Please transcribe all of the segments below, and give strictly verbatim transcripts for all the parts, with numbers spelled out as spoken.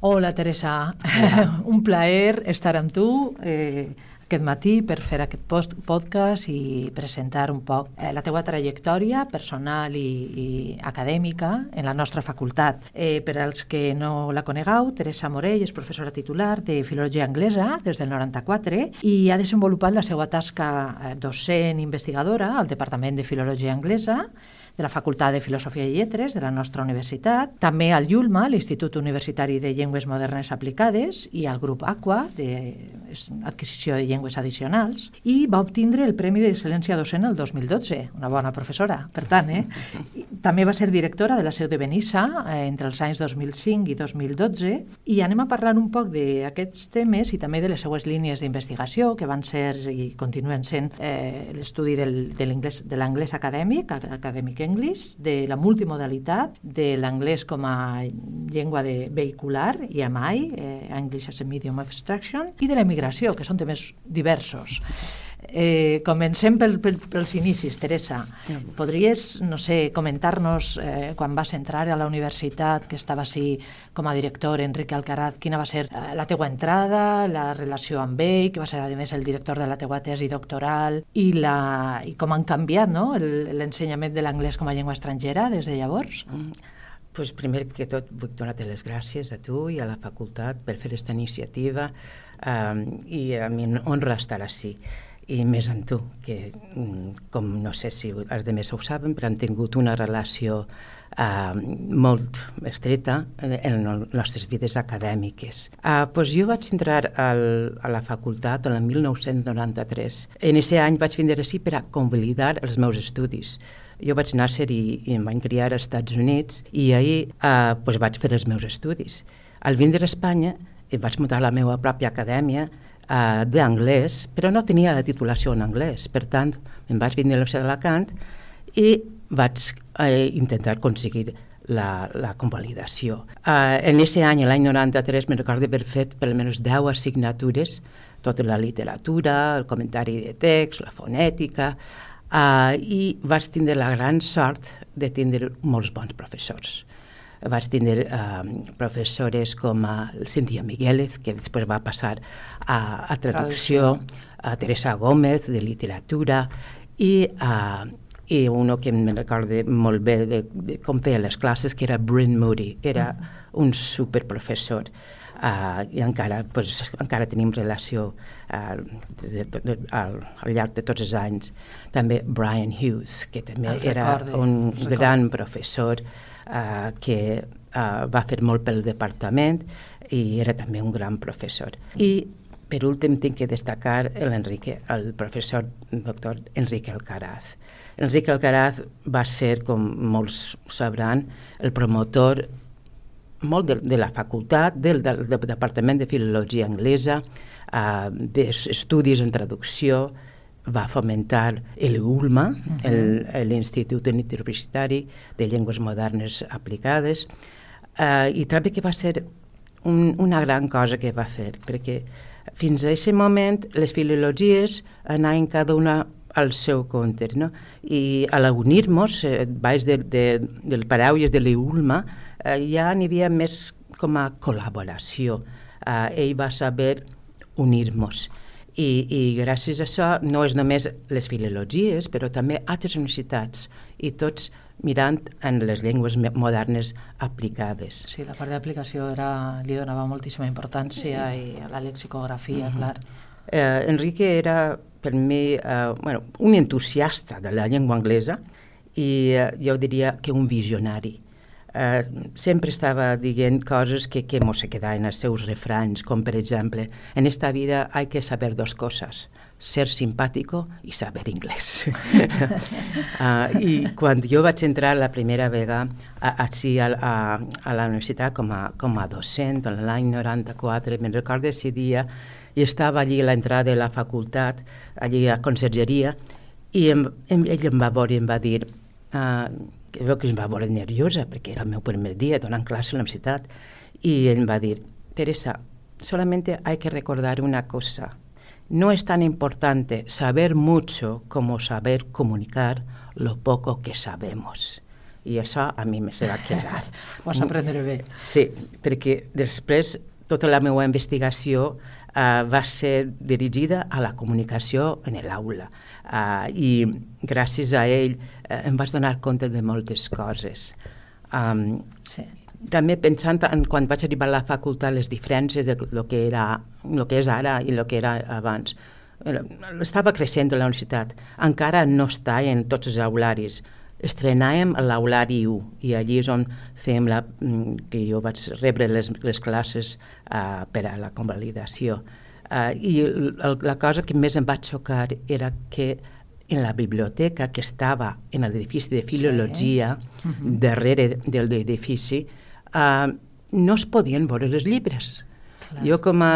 Hola, Teresa. Hola. Un plaer estar amb tu eh, aquest matí per fer aquest post podcast i presentar un poc eh, la teua trajectòria personal i, i acadèmica en la nostra facultat. Eh, per als que no la conegueu, Teresa Morell és professora titular de Filologia Anglesa des del noranta-quatre i ha desenvolupat la seva tasca docent investigadora al Departament de Filologia Anglesa de la Facultat de Filosofia i Lletres de la nostra universitat, també al IULMA, l'Institut Universitari de Llengües Modernes Aplicades, i al grup AQUA, d'Adquisició de Llengües Addicionals, i va obtindre el Premi d'Excel·lència Docent el dos mil dotze, una bona professora, per tant, eh? També va ser directora de la Seu de Benissa eh, entre els anys dos mil cinc i dos mil dotze, i anem a parlar un poc d'aquests temes i també de les seues línies d'investigació, que van ser i continuen sent eh, l'estudi del, de l'anglès de l'anglès acadèmic, acadèmic English, de la multimodalitat, de l'anglès com a llengua de vehicular, I M I, eh, English as a Medium of Instruction, i de la immigració, que són temes diversos. Eh, comencem pel, pel, pels inicis, Teresa. Podries, no sé, comentar-nos eh, quan vas entrar a la universitat, que estava així com a director, Enrique Alcaraz, quina va ser eh, la teua entrada, la relació amb ell, que va ser a més el director de la teua tesi doctoral, i, la, i com han canviat, no?, l'ensenyament de l'anglès com a llengua estrangera des de llavors? Mm. Pues primer que tot vull donar-te les gràcies a tu i a la facultat per fer aquesta iniciativa um, i a mi honra estar així. I més en tu, que com no sé si els altres ho saben, però hem tingut una relació uh, molt estreta en les nostres vides acadèmiques. Uh, pues jo vaig entrar al, a la facultat en el mil nou-cents noranta-tres. En aquest any vaig vindre així per a convalidar els meus estudis. Jo vaig néixer i, i em vaig criar als Estats Units i ahir uh, pues vaig fer els meus estudis. Al vindre a Espanya vaig muntar la meva pròpia acadèmia Uh, d'anglès, però no tenia la titulació en anglès. Per tant, em vaig vindre a la Universitat d'Alacant i vaig uh, intentar aconseguir la, la convalidació. Uh, en aquest any, l'any noranta-tres, me'n recordo haver fet per almenys deu assignatures, tota la literatura, el comentari de text, la fonètica, uh, i vaig tindre la gran sort de tindre molts bons professors. Vaig tindre uh, professores com uh, Cíntia Miguélez, que després va passar a, a traducció, a Teresa Gómez, de literatura, i, uh, i uno que em recordo molt bé de, de com feia les classes, que era Bryn Moody, era un superprofessor. Uh, i encara, pues, encara tenim relació uh, de, de, de, al, al llarg de tots els anys. També Brian Hughes, que també el era recorde, un gran professor uh, que uh, va fer molt pel departament i era també un gran professor. I per últim tinc que destacar l'Enrique, el professor doctor Enrique Alcaraz. Enrique Alcaraz va ser, com molts sabran, el promotor molt de, de la facultat, del, del, del Departament de Filologia Anglesa, uh, d'estudis en traducció, va fomentar l'ULMA, uh-huh. l'Institut Universitari de Llengües Modernes Aplicades, uh, i també que va ser un, una gran cosa que va fer, perquè fins a aquest moment les filologies anaven cada una al seu compte, no? I a l'unir-nos, eh, baix de, de, del paraules de l'ULMA, eh, ja n'hi havia més com a col·laboració. Eh, ell va saber unir-nos. I, I gràcies a això no és només les filologies, però també altres universitats, i tots mirant en les llengües modernes aplicades. Sí, la part d'aplicació era, li donava moltíssima importància i a la lexicografia, uh-huh. clar. Eh, Enrique era per mi eh, bueno, un entusiasta de la llengua anglesa i eh, jo diria que un visionari. Eh, sempre estava dient coses que, que mos se quedaven als seus refranys, com per exemple, en esta vida hay que saber dos cosas, ser simpático i saber inglès. uh, I quan jo vaig entrar la primera vegada a, a, a, a, a la universitat com a, com a docent, en l'any noranta-quatre, me'n recordo ese dia, i estava allí a l'entrada de la facultat, allí a consergeria, i em, em, ell em va veure i em va dir, uh, que veu que em va veure nerviosa, perquè era el meu primer dia donant classe a la universitat, i em va dir, Teresa, solamente hay que recordar una cosa, no es tan importante saber mucho como saber comunicar lo poco que sabemos. I això a mi me se va quedar. Ho vas aprendre bé. Sí, perquè després tota la meva investigació uh, va ser dirigida a la comunicació en l'aula. Uh, I gràcies a ell uh, em vaig donar compte de moltes coses. Um, sí. També pensant en quan vaig arribar a la facultat les diferències de lo que, era, lo que és ara i el que era abans. Estava creixent a la universitat. Encara no està en tots els aularis. Estrenàvem l'aulari u i allí és on fèiem la, que jo vaig rebre les, les classes uh, per a la convalidació. Uh, I el, la cosa que més em va xocar era que en la biblioteca que estava en l'edifici de filologia, sí. uh-huh. darrere del edifici, uh, no es podien veure els llibres. Clar. Jo com a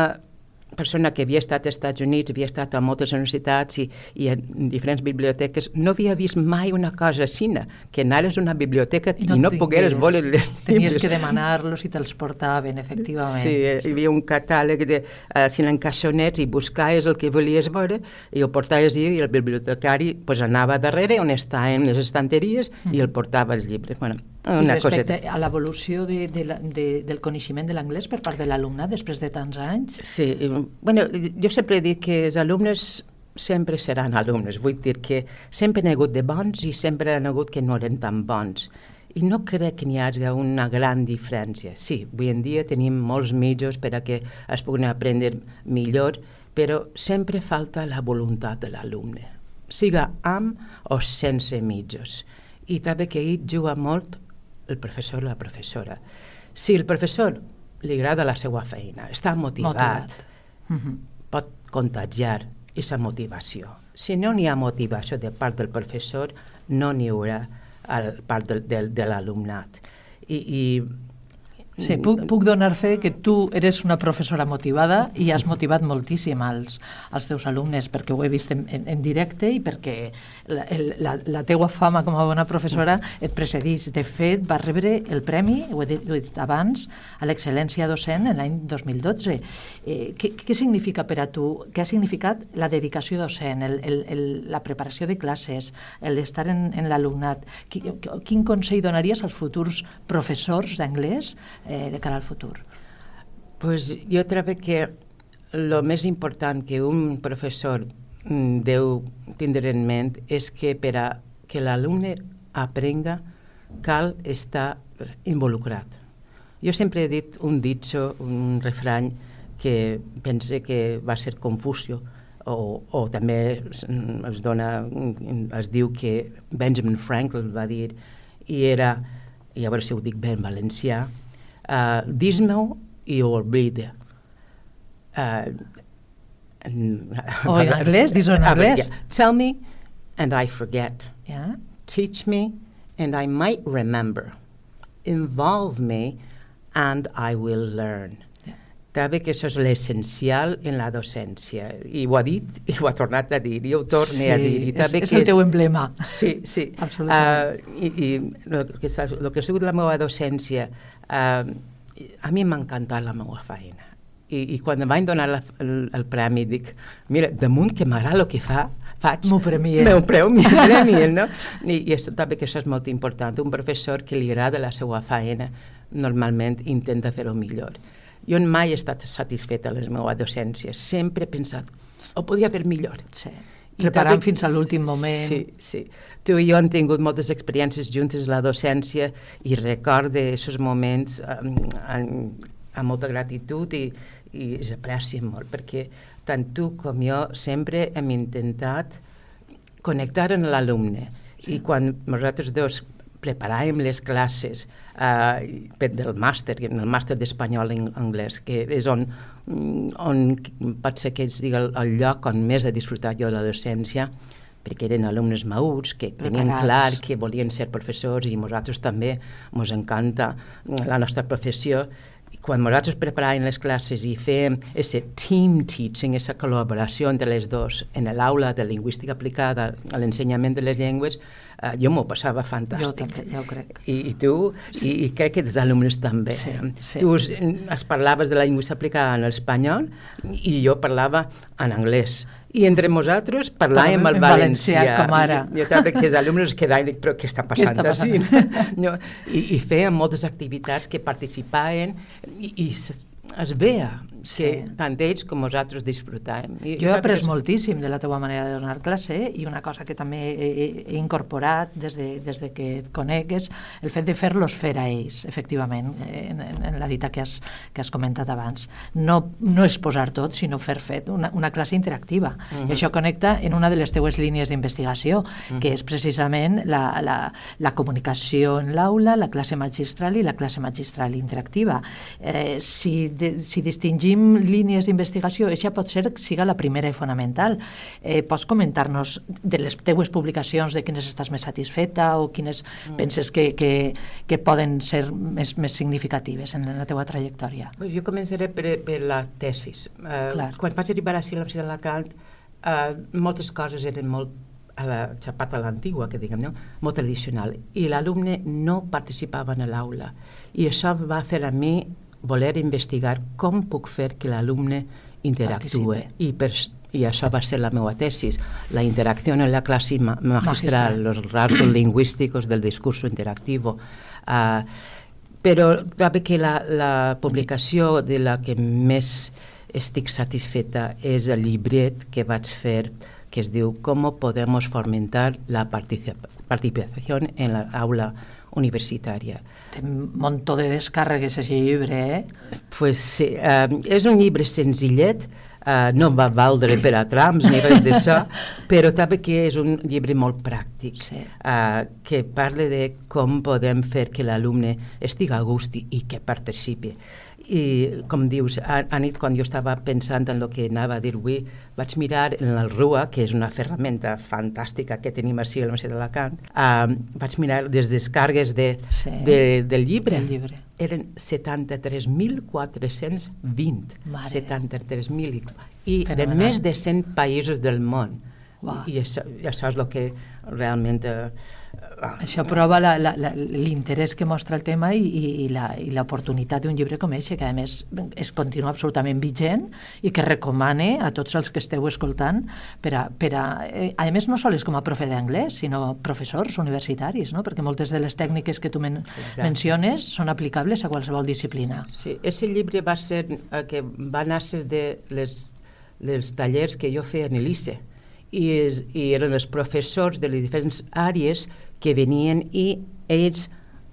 persona que havia estat als Estats Units, havia estat a moltes universitats i, i en diferents biblioteques, no havia vist mai una cosa així, que anaves a una biblioteca i no, i no pogueres veure els llibres. Tenies que demanar-los i te'ls portaven, efectivament. Sí, hi havia un catàleg de uh, cinc encaixonets i buscaves el que volies veure i ho portaves i el bibliotecari pues, anava darrere on estaven les estanteries mm. i el portava els llibres. Bueno, una I respecte coseta. A l'evolució de, de, de, del coneixement de l'anglès per part de l'alumnat després de tants anys? Sí, bueno, jo sempre he dit que els alumnes sempre seran alumnes, vull dir que sempre n'hi ha hagut de bons i sempre n'hi ha hagut que no eren tan bons. I no crec que n'hi hagi una gran diferència. Sí, avui en dia tenim molts mitjos per a que es puguin aprendre millor, però sempre falta la voluntat de l'alumne, siga amb o sense mitjos. I també que hi juga molt el professor o la professora. Si el professor li agrada la seva feina, està motivat, motivat. Uh-huh. pot contagiar aquesta motivació. Si no n'hi ha motivació de part del professor, no n'hi haurà a part de, de, de l'alumnat. I, i Sí, puc, puc donar fe que tu eres una professora motivada i has motivat moltíssim als, als teus alumnes, perquè ho he vist en, en, en directe i perquè la, la, la teua fama com a bona professora et precedeix. De fet, vas rebre el premi, ho he dit, ho he dit abans, a l'excel·lència docent en l'any dos mil dotze. Eh, què, què significa per a tu, què ha significat la dedicació docent, el, el, el, la preparació de classes, l'estar en, en l'alumnat? Quin, quin consell donaries als futurs professors d'anglès de cara al futur? Pues jo trobo que el més important que un professor deu tindre en ment és que per a que l'alumne aprenga cal estar involucrat. Jo sempre he dit un ditxo, un refrany que pense que va ser Confucio, o, o també es dona, es diu que Benjamin Franklin va dir, i era, i a veure si ho dic bé en valencià, Uh, dis-me-ho i ho oblida. Uh, o en anglès, dis-ho en anglès. Yeah. Tell me and I forget. Yeah. Teach me and I might remember. Involve me and I will learn. Yeah. També que això és l'essencial en la docència. I ho ha dit i ho ha tornat a dir, i ho torne sí, a dir. I és, és el teu emblema. Sí, sí. Absolutament. Uh, I i el, que, el que ha sigut la meva docència, uh, a mi m'ha encantat la meva feina. I, i quan em van donar la, el, el premi, dic, mira, damunt que m'agrada el que fa, faig... M'ho premien. M'ho premien, no? I, i això, també que això és molt important. Un professor que li agrada la seva feina, normalment intenta fer-ho millor. Jo mai he estat satisfeta de la meva docència. Sempre he pensat, ho podria fer millor. Sí. Preparant també, fins a l'últim moment. Sí, sí. Tu i jo hem tingut moltes experiències juntes a la docència i recordo aquests moments amb, amb, amb molta gratitud i, i es aprecien molt, perquè tant tu com jo sempre hem intentat connectar amb l'alumne. Sí. I quan nosaltres dos preparàvem les classes uh, del màster, el màster d'espanyol en anglès, que és on, on pot ser que sigui el, el lloc on més he disfrutat jo de la docència, perquè eren alumnes madurs que tenien Preparats. clar que volien ser professors i nosaltres també ens encanta la nostra professió. I quan nosaltres preparàvem les classes i fèiem aquest team teaching, aquesta col·laboració entre les dos en l'aula de lingüística aplicada a l'ensenyament de les llengües, Uh, jo m'ho passava fantàstic. Jo també, ja ho crec. I, i tu, sí. i, i crec que els alumnes també. Sí, sí. Tu es, es parlaves de la lingüística aplicada en l'espanyol i jo parlava en anglès. I entre nosaltres parlàvem el valencià. valencià com ara. I, jo també que els alumnes quedaven i dic, però què està passant? Què està passant? No? I, I feien moltes activitats que participaven i, i es, es veia que sí. tant ells com nosaltres disfrutàvem. I, jo he après moltíssim de la teva manera de donar classe i una cosa que també he, he incorporat des de, des de que et conec és el fet de fer-los fer a ells, efectivament, en, en la dita que has, que has comentat abans. No, no exposar tot, sinó fer fet una, una classe interactiva. Uh-huh. I això connecta en una de les teues línies d'investigació, uh-huh. que és precisament la, la, la comunicació en l'aula, la classe magistral i la classe magistral interactiva. Eh, si, de, si distingim línies d'investigació, això pot ser que siga la primera i fonamental. Eh, pots comentar-nos de les teues publicacions, de quines estàs més satisfeta o quines mm. penses que, que, que poden ser més, més significatives en la teua trajectòria? Pues jo començaré per, per la tesis. Uh, quan vaig arribar a la Universitat d'Alacant, uh, moltes coses eren molt a la xapata a l'antigua, que diguem, no? Molt tradicional, i l'alumne no participava en l'aula. I això va fer a mi voler investigar com puc fer que l'alumne interactue. I, per, I això va ser la meva tesis, la interacció en la classe ma magistral, els rasgos lingüísticos del discurso interactivo. Uh, però crec que la, la publicació de la que més estic satisfeta és el llibret que vaig fer, que es diu «Cómo podemos fomentar la participación en la aula universitària». Té un munt de descàrregues, aquest llibre, eh? Pues sí, uh, és un llibre senzillet, uh, no va valdre per a trams ni res d'això, però també que és un llibre molt pràctic, sí. uh, que parla de com podem fer que l'alumne estigui a gust i, i que participi. I, com dius, a, a nit, quan jo estava pensant en el que anava a dir avui, vaig mirar en el RUA, que és una ferramenta fantàstica que tenim així a la Universitat d'Alacant, uh, vaig mirar les descàrregues de, sí. de, del llibre. El llibre. Eren setanta-tres mil quatre-cents vint. setanta-tres mil. I Fenomenal. De més de cent països del món. Wow. I això, això és el que realment... Uh, Això prova l'interès que mostra el tema i, i, i l'oportunitat d'un llibre com aquest, que a més es continua absolutament vigent i que recomane a tots els que esteu escoltant per a, per a, eh, a més no sols com a profe d'anglès, sinó professors universitaris, no? Perquè moltes de les tècniques que tu men menciones són aplicables a qualsevol disciplina. Sí, aquest llibre va ser eh, que va néixer de les, les tallers que jo feia en l'I C E i, es, i eren els professors de les diferents àrees que venien i ells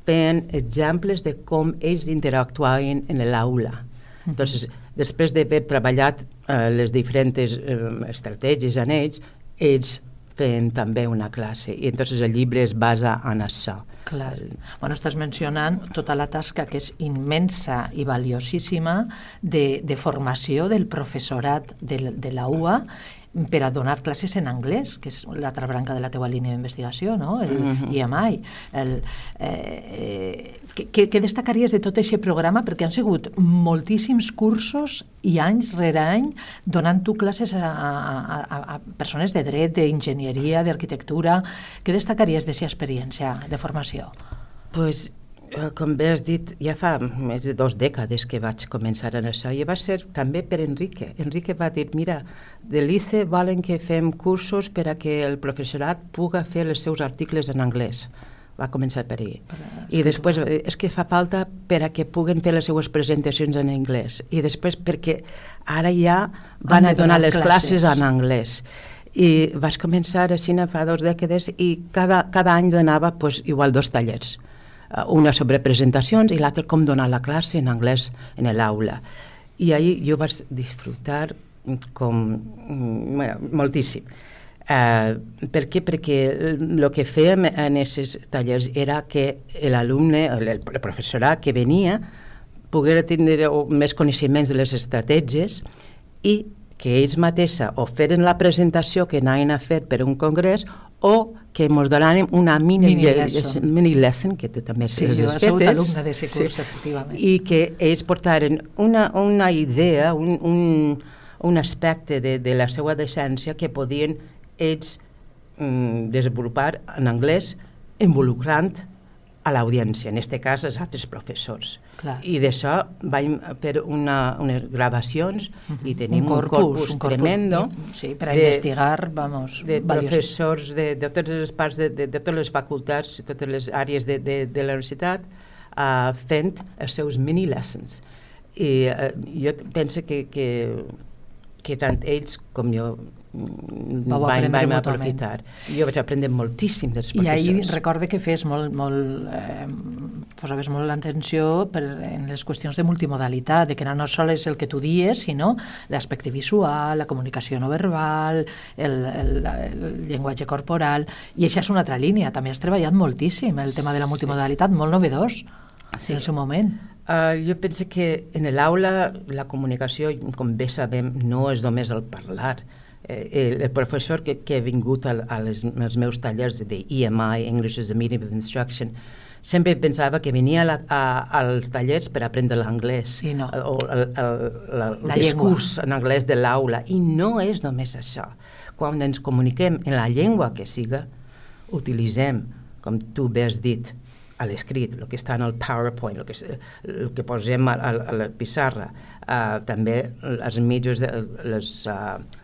feien exemples de com ells interactuaven en l'aula. Uh-huh. Entonces, després d'haver treballat eh, les diferents eh, estratègies en ells, ells feien també una classe. I entonces el llibre es basa en això. Clar. Bueno, estàs mencionant tota la tasca que és immensa i valiosíssima de, de formació del professorat de, de la U A per a donar classes en anglès, que és l'altra branca de la teua línia d'investigació, no? El uh-huh. I M I. El, eh, què, què destacaries de tot aquest programa? Perquè han sigut moltíssims cursos i anys rere any donant tu classes a, a, a, a persones de dret, d'enginyeria, d'arquitectura. Què destacaries d'aquesta experiència de formació? Pues, com bé has dit, ja fa més de dues dècades que vaig començar en això i va ser també per Enrique. Enrique va dir, mira, de l'I C E volen que fem cursos per a que el professorat puga fer els seus articles en anglès. Va començar per ell. I després, és que fa falta per a que puguen fer les seues presentacions en anglès. I després perquè ara ja van a donar les classes en anglès. I vaig començar així fa dues dècades i cada, cada any donava pues, igual dos tallers. Una sobre presentacions i l'altra com donar la classe en anglès en l'aula. I ahir jo vaig disfrutar com, bueno, moltíssim. Uh, per què? Perquè el que fèiem en aquests tallers era que l'alumne, el, el professorat que venia, poguera tindre més coneixements de les estratègies i que ells mateixa o feren la presentació que anaven a fer per un congrés o que ens donàrem una mini, mini, lesson. mini lesson, que tu també sí, jo he sigut alumne d'aquest curs, sí, efectivament. I que ells portaren una, una idea, un, un, un aspecte de, de la seva decència que podien ells mm, desenvolupar en anglès involucrant a l'audiència, en aquest cas els altres professors. Clar. I d'això vam fer una, unes gravacions uh-huh. i tenim un corpus, un corpus, un corpus tremendo sí, per a de, investigar, vamos, de professors de, de totes les parts, de, de, de totes les facultats, de totes les àrees de, de, de la universitat, uh, fent els seus mini-lessons. I uh, jo penso que, que, que tant ells com jo Vau vam, vam aprofitar. Jo vaig aprendre moltíssim dels professors. I ahir recorde que fes molt, molt, eh, posaves molt l'atenció per, en les qüestions de multimodalitat, de que no sols el que tu dies, sinó l'aspecte visual, la comunicació no verbal, el, el, el llenguatge corporal, i això és una altra línia. També has treballat moltíssim el tema de la multimodalitat, molt novedós sí. en el seu moment. Uh, jo penso que en l'aula la comunicació, com bé sabem, no és només el parlar. El, el professor que, que ha vingut a, a les, als meus tallers de E M I, English as a Medium of Instruction, sempre pensava que venia a la, a, als tallers per aprendre l'anglès sí, no. o el, el, el, el discurs en anglès de l'aula, i no és només això. Quan ens comuniquem en la llengua que siga, utilitzem, com tu bé has dit, a l'escrit, el que està en el PowerPoint, el que, el que posem a, a, a la pissarra, uh, també els mitjans, de, les... Uh,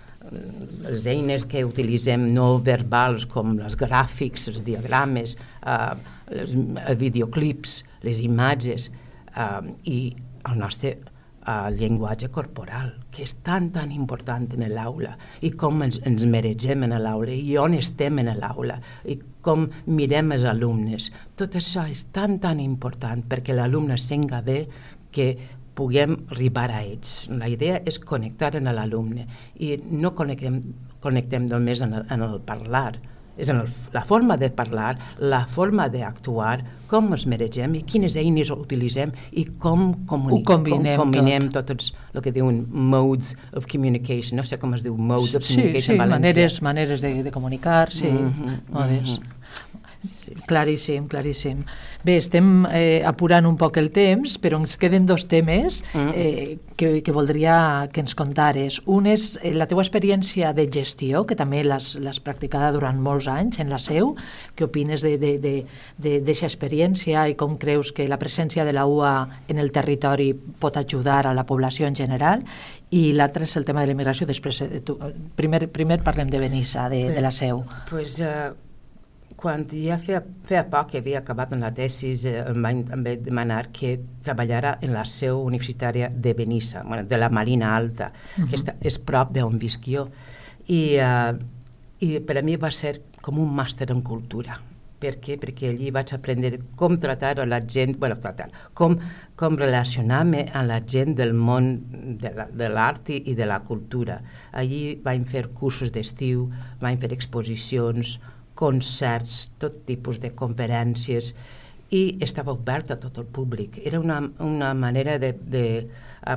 les eines que utilitzem no verbals com els gràfics, els diagrames, eh, els videoclips, les imatges eh, i el nostre eh, llenguatge corporal, que és tan, tan important en l'aula, i com ens, ens mereixem en l'aula, i on estem en l'aula, i com mirem els alumnes. Tot això és tan, tan important perquè l'alumne senga bé que puguem arribar a ells. La idea és connectar amb l'alumne i no connectem, connectem només en el, en el parlar, és en el, la forma de parlar, la forma d'actuar, com ens mereixem i quines eines utilitzem i com, comuni- com combinem tot. tots el que diuen modes of communication, no sé com es diu modes of sí, communication sí, en valencià. Maneres, maneres de, de comunicar, sí, mm-hmm, modes. Mm-hmm. Sí. Claríssim, claríssim. Bé, estem eh, apurant un poc el temps, però ens queden dos temes eh, que, que voldria que ens contares. Un és eh, la teua experiència de gestió, que també l'has, l'has practicada durant molts anys en la seu. Què opines d'aquesta experiència i com creus que la presència de la U A en el territori pot ajudar a la població en general? I l'altre és el tema de l'emigració. Després, eh, tu, primer, primer parlem de Benissa, de, de la seu. Pues, uh... Quan ja feia, feia poc que havia acabat en la tesis, eh, em, van, em vaig demanar que treballara en la seu universitària de Benissa, bueno, de la Marina Alta, uh-huh. que està, és prop d'on visc jo. I, uh, I per a mi va ser com un màster en cultura. Per què? Perquè allí vaig aprendre com tratar a la gent, bueno, tratar, com, com relacionar-me amb la gent del món de, la, de l'art i de la cultura. Allí vam fer cursos d'estiu, vam fer exposicions, concerts, tot tipus de conferències, i estava obert a tot el públic. Era una, una manera de, de uh,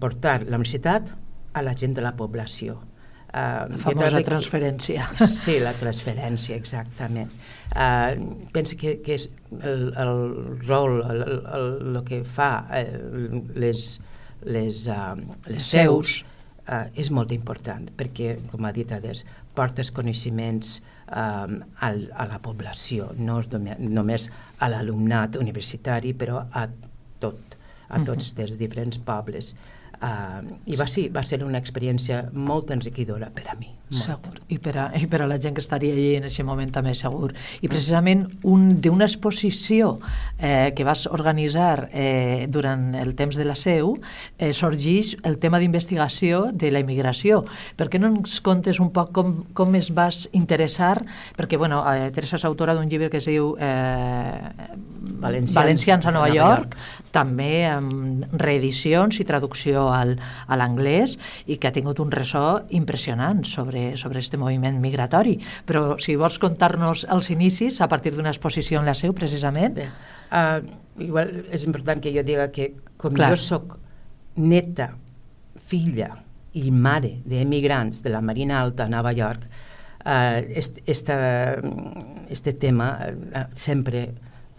portar la universitat a la gent de la població. Uh, la famosa transferència. Que, sí, la transferència, exactament. Uh, penso que, que és el, el rol, el, el, el que fa uh, les, les, uh, les seus uh, és molt important, perquè, com ha dit Ades, portes coneixements Um, al, a la població, no només a l'alumnat universitari, però a tot, a tots uh-huh. dels diferents pobles. Uh, I va, sí, va ser una experiència molt enriquidora per a mi. Molt. Segur. I per, a, I per a la gent que estaria allà en aquest moment també, segur. I precisament un, d'una exposició eh, que vas organitzar eh, durant el temps de la seu eh, sorgeix el tema d'investigació de la immigració. Per què no ens contes un poc com, com es vas interessar? Perquè, bueno, eh, Teresa és autora d'un llibre que es diu eh, Valencians, Valencians a Nova, Nova York, York, també amb reedicions i traducció al, a l'anglès, i que ha tingut un ressò impressionant sobre, sobre este moviment migratori. Però si vols contar-nos els inicis a partir d'una exposició en la seu, precisament. Bé, uh, igual és important que jo diga que com Clar. jo soc neta, filla i mare d'emigrants de la Marina Alta a Nova York, uh, este, esta, este tema uh, sempre...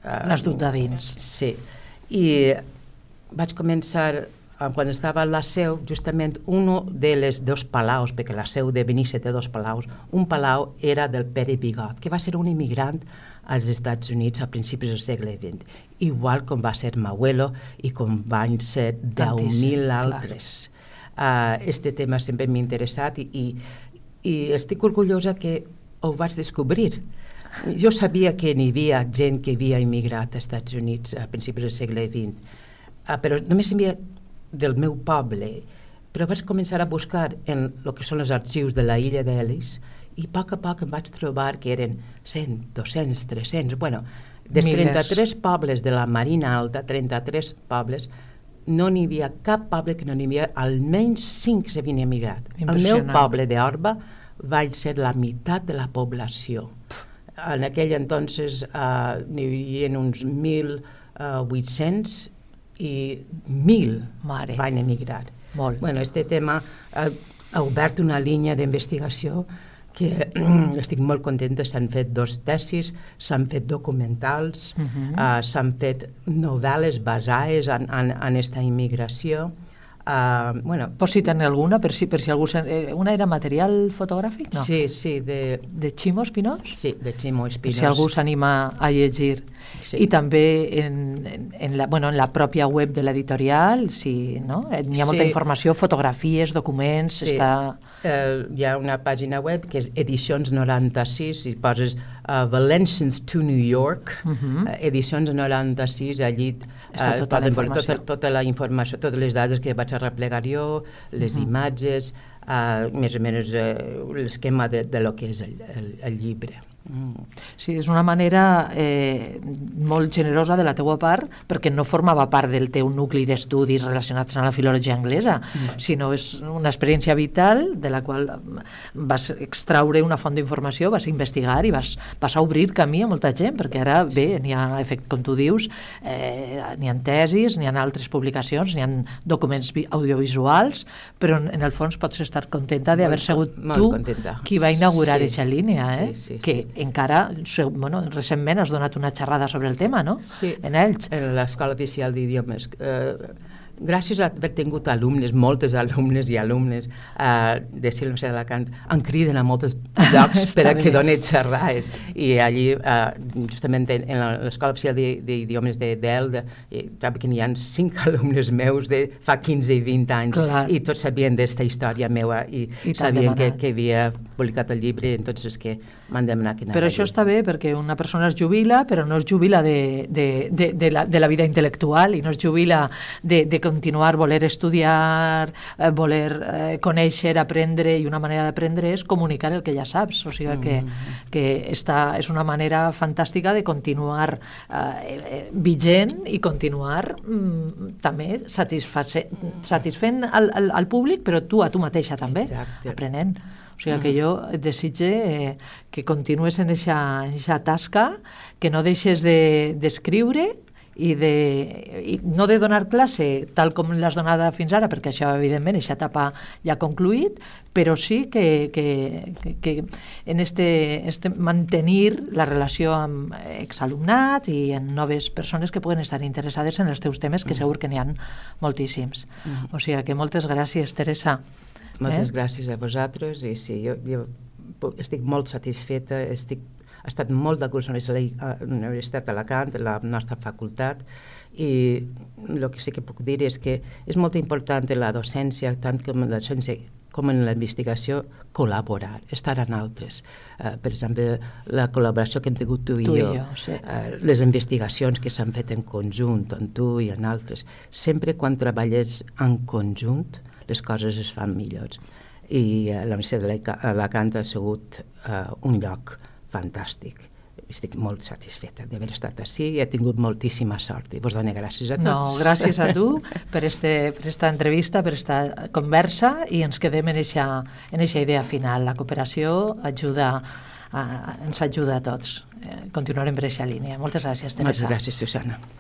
Uh, L'has dut de dins. Sí. I vaig començar quan estava a la seu, justament un dels dos palaus, perquè la seu de Benissa té dos palaus, un palau era del Pere Bigot, que va ser un immigrant als Estats Units a principis del segle vint, igual com va ser Mauelo i com van ser deu mil altres. Uh, este tema sempre m'ha interessat i, i, i estic orgullosa que ho vaig descobrir. Jo sabia que n'hi havia gent que havia immigrat als Estats Units a principis del segle vint, uh, però només n'hi havia del meu poble, però vaig començar a buscar en el que són els arxius de la illa d'Ellis i a poc a poc em vaig trobar que eren cent, dos-cents, tres-cents, bueno, dels trenta-tres pobles de la Marina Alta, trenta-tres pobles, no n'hi havia cap poble que no n'hi havia almenys cinc que s'havien emigrat. El meu poble d'Orba va ser la meitat de la població. En aquell entonces uh, n'hi havia uns mil vuit-cents i mil Mare. van emigrar. Molt. Bueno, este tema ha, ha obert una línia d'investigació que estic molt contenta. S'han fet dos tesis, s'han fet documentals, uh-huh. uh, s'han fet novel·les basades en, en, en esta immigració. Uh, bueno, Pots citar-ne alguna? Per si, per si algú... Se... Una era material fotogràfic? No. Sí, sí. De, de Ximo Espinós? Sí, de Ximo Espinós. Per si algú s'anima a llegir. Sí. I també en, en, la, bueno, en la pròpia web de l'editorial, sí, no? Hi ha molta sí. informació, fotografies, documents... Sí. Està... Uh, hi ha una pàgina web que és Edicions noranta-sis i poses uh, Valencians to New York, uh-huh. uh, Edicions noranta-sis, allí uh, tota poden veure tota, tota la informació, totes les dades que vaig a replegar jo, les uh-huh. imatges, uh, més o menys uh, l'esquema de, de lo que és el, el, el llibre. Mm. Sí, és una manera eh, molt generosa de la teua part, perquè no formava part del teu nucli d'estudis relacionats amb la filologia anglesa, mm. sinó és una experiència vital de la qual vas extraure una font d'informació, vas investigar i vas, vas a obrir camí a molta gent, perquè ara, bé, n'hi ha, com tu dius, eh, n'hi ha tesis, n'hi ha altres publicacions, n'hi ha documents audiovisuals, però en, en el fons pots estar contenta d'haver sigut tu contenta. Qui va inaugurar aquesta sí. línia, eh? Sí, sí, que sí. encara, bueno, recentment has donat una xerrada sobre el tema, no? Sí, en ells. En l'Escola Oficial d'Idiomes. Eh, gràcies a haver tingut alumnes, moltes alumnes i alumnes uh, de Silència d'Alacant, em criden a molts llocs per a que doni xerrades. I allí, uh, justament en l'Escola Oficial d'Idiomes d'Elda, també que n'hi ha cinc alumnes meus de fa quinze i vint anys, Clar. i tots sabien d'esta història meva i, I sabien que, que havia publicat el llibre, entonces que m'han demanat que anava. Però això està bé, perquè una persona es jubila, però no es jubila de, de, de, de, la, de la vida intel·lectual i no es jubila de, de continuar, voler estudiar, eh, voler eh, conèixer, aprendre, i una manera d'aprendre és comunicar el que ja saps. O sigui que, mm. que esta és una manera fantàstica de continuar eh, vigent i continuar mm, també satisfent al, al, al públic, però tu a tu mateixa també, Exacte. aprenent. O sigui que jo et desitge eh, que continues en aquesta tasca, que no deixes d'escriure de, i, de, i no de donar classe tal com l'has donada fins ara, perquè això, evidentment, aquesta etapa ja ha concluït, però sí que, que, que, que en este, este mantenir la relació amb exalumnat i en noves persones que puguen estar interessades en els teus temes, que segur que n'hi ha moltíssims. O sigui que moltes gràcies, Teresa. Moltes eh? gràcies a vosaltres i sí, jo, jo estic molt satisfeta, estic, he estat molt d'acord amb la Universitat d'Alacant, la nostra facultat, i el que sí que puc dir és que és molt important en la docència, tant com en la docència com en la investigació, col·laborar, estar en altres. Uh, per exemple, la col·laboració que hem tingut tu i tu jo, i jo sí. uh, les investigacions que s'han fet en conjunt, amb tu i en altres. Sempre quan treballes en conjunt, les coses es fan millors. I uh, la Universitat d'Alacant ha sigut uh, un lloc fantàstic. Estic molt satisfeta d'haver estat així i he tingut moltíssima sort i vos dono gràcies a tots. No, gràcies a tu per este, per esta entrevista, per esta conversa, i ens quedem en eixa, en eixa idea final. La cooperació ajuda a, ens ajuda a tots. Eh, continuarem per eixa línia. Moltes gràcies, Teresa. Moltes gràcies, Susana.